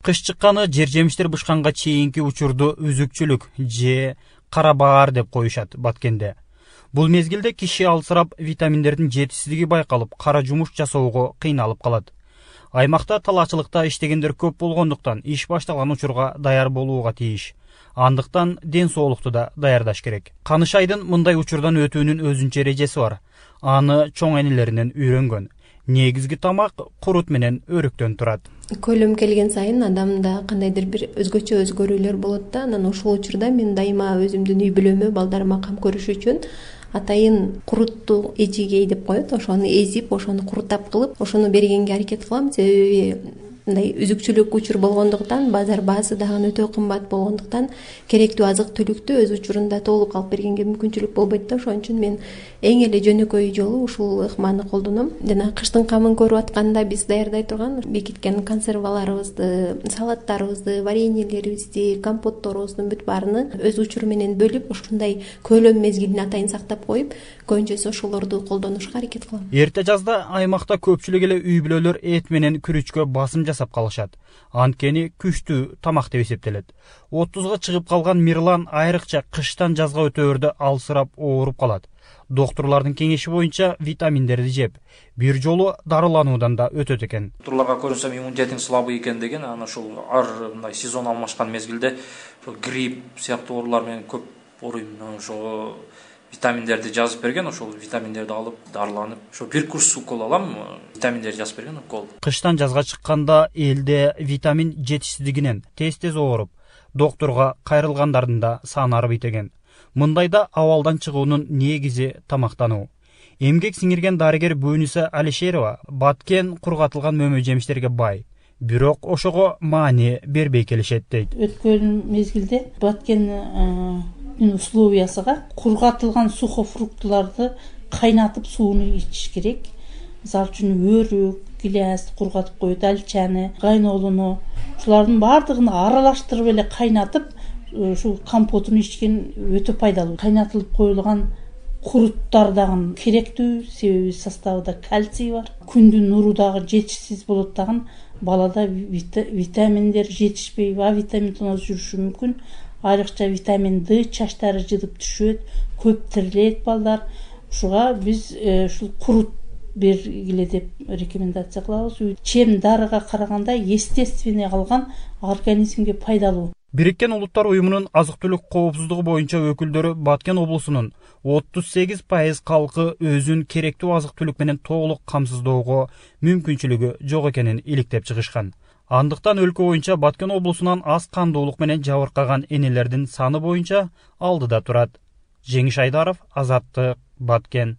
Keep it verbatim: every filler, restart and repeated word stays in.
Кыш чыкканы жер жемиштер бышканга чейинки учурду үзүкчүлүк же кара баар деп коюшат Баткенде. Бул мезгилде киши алсырап витаминдердин жетишсиздиги байкалып, кара жумуш жасоого кыйналып калат. Аймакта талаачылыкта иштегендер көп болгондуктан иш башталган учурга даяр болууга тийиш. Андыктан ден соолукту да даярдаш керек. Каныш айдын мындай учурдан өтүүнүн өзүнчө эрежеси бар. Аны чоң энелеринен үйрөнгөн. Негизги тамак курут менен өрүктөн турат. Көлөм келген сайын адамда кандайдыр бир өзгөчө өзгөрүүлөр болот да, анан ошол учурда мен дайыма өзүмдүн үй бүлөмө, балдарыма кам көрүш үчүн атайын курутту эжигей деп коет, ошону эзип, ошону курутап кылып, ошону бергенге аракет кылам. Себеби мындай үзүкчүлүк учур болгондуктан, базар баасы дагы өтө кымбат болгондуктан керектүү азык түлүктү өз учурунда толук алып бергенге мүмкүнчүлүк болбойт да. Ошон үчүн мен эң эле жөнөкөй жолу ушул ыкманы колдоном. Жана кыштын камын көрүп атканда биз даярдай турган бекиткен консерваларыбызды, салаттарыбызды, вареньелерибизди, компотторубуздун бүт баарыны өз учуру менен бөлүп, ушундай көлөм мезгилин атайын сактап коюп, көбүнчөсү ошолорду колдонушка аракет кылам. Эрте жазда аймакта көпчүлүк эле үй бүлөлөр эт менен күрүчкө басым жасап калышат. Анткени күчтүү тамак деп эсептелет. отузга чыгып калган Мирлан айрыкча кыштан жазга өтөөрдө алсырап ооруп калат. Доктурлардын кеңеши боюнча витаминдерди жеп, бир жолу дарылануудан да өтөт экен. Доктурларга көрүнсөм иммунитетиң слабый экен деген, анан ушул ар мындай сезон алмашкан мезгилде грипп сыяктуу оорулар менен көп ооруйм. Ошо витаминдерди жазып берген, ошол витаминдерди алып дарыланып, ошо бир курс укол алам, витаминдерди жазып берген укол. Кыштан жазга чыкканда элде витамин жетишсиздигинен тез-тез ооруп, доктурга кайрылгандардын да саны арбайт экен. Мындайда абалдан чыгуунун негизи тамактануу. Эмгек сиңирген дарыгер Бөнүсө Алишерова Баткен кургатылган мөмө жемиштерге бай, бирок ошого маани бербей келишет дейт. Өткөн мезгилде Баткен условиясыга кургатылган сухофруктуларды кайнатып сууну ичиш керек. Мисалы үчүн өрүк, гиляс кургатып коет, алчаны, кайнолуну, ушулардын баардыгын аралаштырып эле кайнатып, ушул компотун ичкен өтө пайдалуу. Кайнатылып коюлган куруттар дагы керектүү, себеби составында кальций бар. Күндүн нуру дагы жетишсиз болот дагы, балада витаминдер жетишпей, А витамин тоноз жүрүшү мүмкүн. Айрыкча витамин Д чачтары жыдып түшөт, көп тирилет балдар. Ушуга биз ушул курут бергиле деп рекомендация кылабыз. Чем дарыга караганда естественный алган, организмге пайдалуу. Бириккен Улуттар уюмунун азык-түлүк коопсуздугу боюнча өкүлдөрү Баткен облусунун отуз сегиз пайыз калкы өзүн керектүү азык-түлүк менен толук камсыздоого мүмкүнчүлүгү жок экенин иликтеп чыгышкан. Андыктан өлкө боюнча Баткен облусунан аз кандуулук менен жабыркаган энелердин саны боюнча алдыда турат. Жеңиш Айдаров, Азаттык, Баткен.